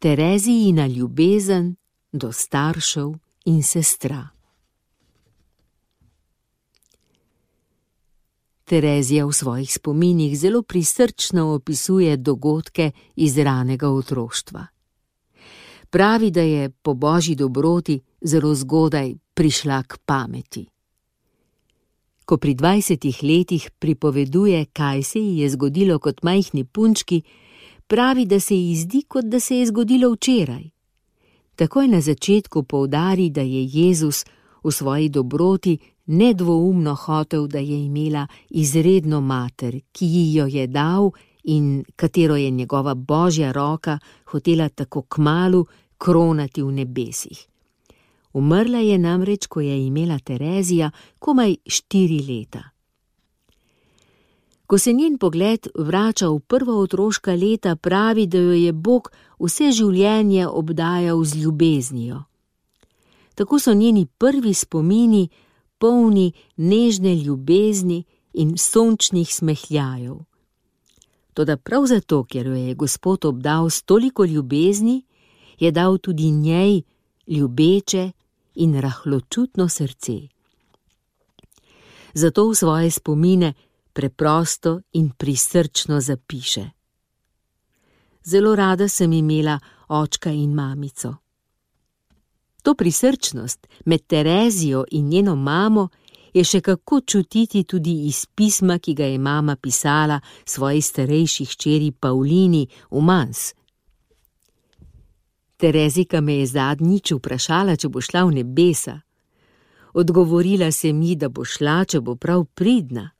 Terezijina ljubezen do staršev in sestra. Terezija v svojih spominih zelo prisrčno opisuje dogodke iz ranega otroštva. Pravi, da je po božji dobroti zelo zgodaj prišla k pameti. Ko pri 20 letih pripoveduje, kaj se ji je zgodilo kot majhni punčki, pravi, da se ji zdi, kot da se je zgodilo včeraj. Takoj na začetku poudari, da je Jezus v svoji dobroti nedvoumno hotel, da je imela izredno mater, ki ji jo je dal in katero je njegova božja roka hotela tako kmalu kronati v nebesih. Umrla je namreč, ko je imela Terezija komaj 4 leta. Ko se njen pogled vrača v prva otroška leta, pravi, da jo je Bog vse življenje obdajal z ljubeznijo. Tako so njeni prvi spomini polni nežne ljubezni in sončnih smehljajev. Toda prav zato, ker jo je Gospod obdal s toliko ljubezni, je dal tudi njej ljubeče in rahločutno srce. Zato v svoje spomine preprosto in prisrčno zapiše: Zelo rada sem imela očka in mamico. To prisrčnost med Terezijo in njeno mamo je še kako čutiti tudi iz pisma, ki ga je mama pisala svoji starejši hčeri Pavlini v Mans. Terezika me je zadnjič vprašala, če bo šla v nebesa. Odgovorila se mi, da bo šla, če bo prav pridna.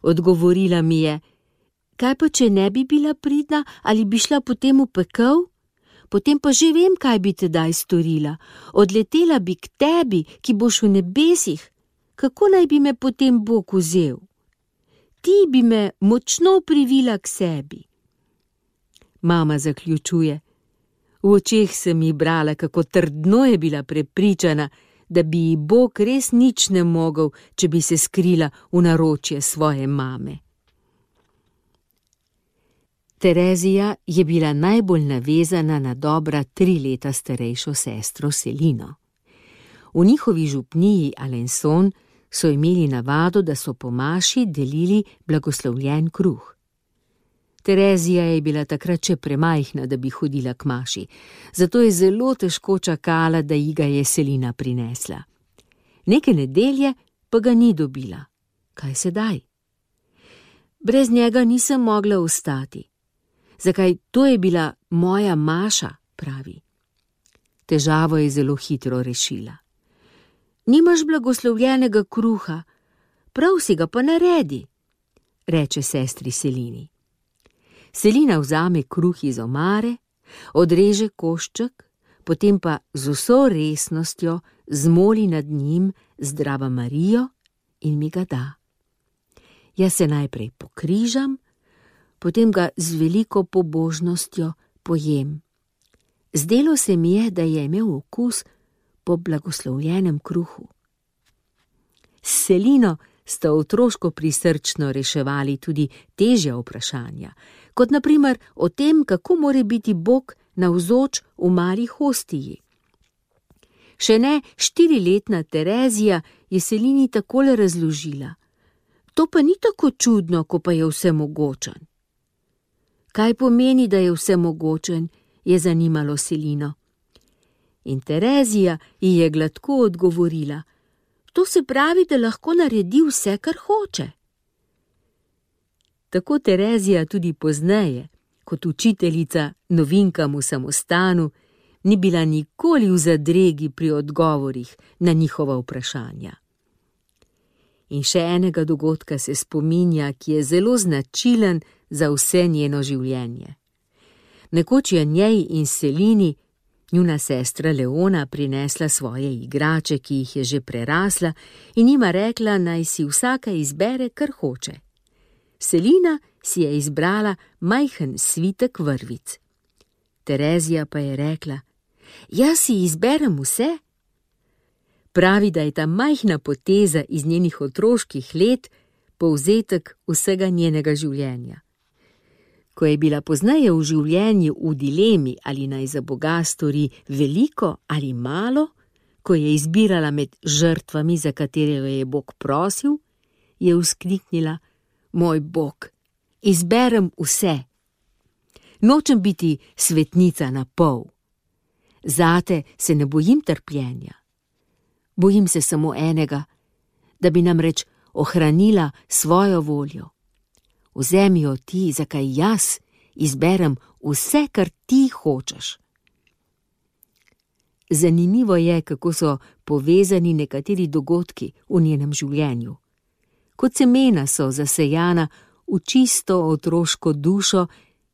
Odgovorila mi je: kaj pa, če ne bi bila pridna, ali bi šla potem v pekel? Potem pa že vem, kaj bi tedaj storila. Odletela bi k tebi, ki boš v nebesih. Kako naj bi me potem Bog vzel? Ti bi me močno privila k sebi. Mama zaključuje: v očeh sem ji brala, kako trdno je bila prepričana, da bi ji Bog res nič ne mogel, če bi se skrila v naročje svoje mame. Terezija je bila najbolj navezana na dobra 3 leta starejšo sestro Selino. V njihovi župniji Alençon so imeli navado, da so po maši delili blagoslovljen kruh. Terezija je bila takrat še premajhna, da bi hodila k maši, zato je zelo težko čakala, da ji ga je Selina prinesla. Neke nedelje pa ga ni dobila. Kaj sedaj? Brez njega nisem mogla ostati. Zakaj, to je bila moja maša, pravi. Težavo je zelo hitro rešila. Nimaš blagoslovljenega kruha, prav si ga pa naredi, reče sestri Selini. Selina vzame kruh iz omare, odreže košček, potem pa z vso resnostjo zmoli nad njim Zdrava Marijo in mi ga da. Jaz se najprej pokrižam, potem ga z veliko pobožnostjo pojem. Zdelo se mi je, da je imel okus po blagoslovljenem kruhu. S Selino sta otroško prisrčno reševali tudi težja vprašanja, kot na primer o tem, kako more biti Bog navzoč v mali hostiji. Še ne 4-letna Terezija je Selini takole razložila: to pa ni tako čudno, ko pa je vsemogočen. Kaj pomeni, da je vsemogočen, je zanimalo Selino. In Terezija ji je gladko odgovorila: to se pravi, da lahko naredi vse, kar hoče. Tako Terezija tudi pozneje, kot učiteljica novinkam v samostanu, ni bila nikoli v zadregi pri odgovorih na njihova vprašanja. In še enega dogodka se spominja, ki je zelo značilen za vse njeno življenje. Nekoč je njej in Selini njuna sestra Leona prinesla svoje igrače, ki jih je že prerasla, in jima rekla, naj si vsaka izbere, kar hoče. Selina si je izbrala majhen svitek vrvic. Terezija pa je rekla: jaz si izberem vse. Pravi, da je ta majhna poteza iz njenih otroških let povzetek vsega njenega življenja. Ko je bila pozneje v življenju v dilemi, ali naj za Boga stori veliko ali malo, ko je izbirala med žrtvami, za katere jo je Bog prosil, je vzkliknila: Moj Bog, izberem vse. Nočem biti svetnica na pol. Zate se ne bojim trpljenja. Bojim se samo enega, da bi namreč ohranila svojo voljo. Vzemi jo ti, zakaj jaz izberem vse, kar ti hočeš. Zanimivo je, kako so povezani nekateri dogodki v njenem življenju. Kot semena so zasejana v čisto otroško dušo,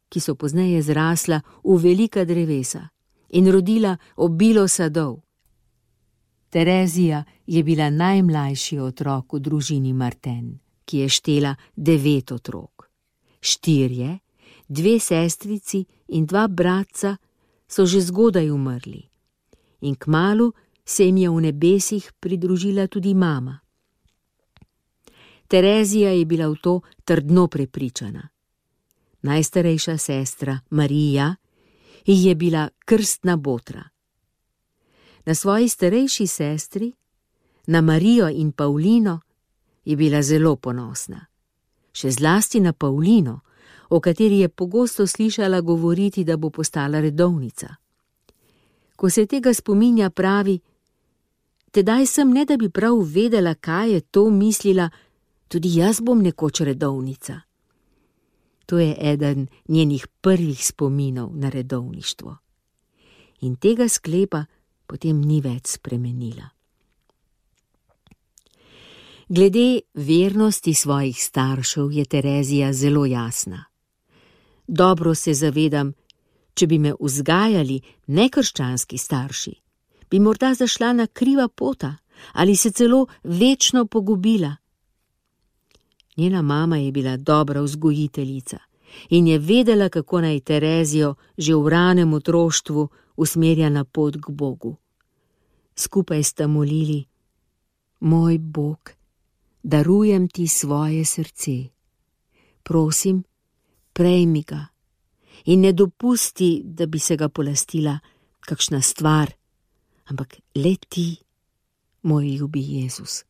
ki so pozneje zrasla v velika drevesa in rodila obilo sadov. Terezija je bila najmlajši otrok v družini Martin, ki je štela 9 otrok. 4, 2 sestrici in 2 bratca so že zgodaj umrli. In kmalu se jim je v nebesih pridružila tudi mama. Terezija je bila v to trdno prepričana. Najstarejša sestra, Marija, ji je bila krstna botra. Na svoji starejši sestri, na Marijo in Pavlino, je bila zelo ponosna. Še zlasti na Pavlino, o kateri je pogosto slišala govoriti, da bo postala redovnica. Ko se tega spominja, pravi: Tedaj sem, ne da bi prav vedela, kaj je to mislila, tudi jaz bom nekoč redovnica. To je eden njenih prvih spominov na redovništvo. In tega sklepa potem ni več spremenila. Glede vernosti svojih staršev je Terezija zelo jasna. Dobro se zavedam, če bi me vzgajali nekrščanski starši, bi morda zašla na kriva pota ali se celo večno pogubila. Njena mama je bila dobra vzgojiteljica in je vedela, kako naj Terezijo že v ranem otroštvu usmerja na pot k Bogu. Skupaj sta molili: Moj Bog, darujem ti svoje srce. Prosim, prejmi ga in ne dopusti, da bi se ga polastila kakšna stvar, ampak le ti, moj ljubi Jezus.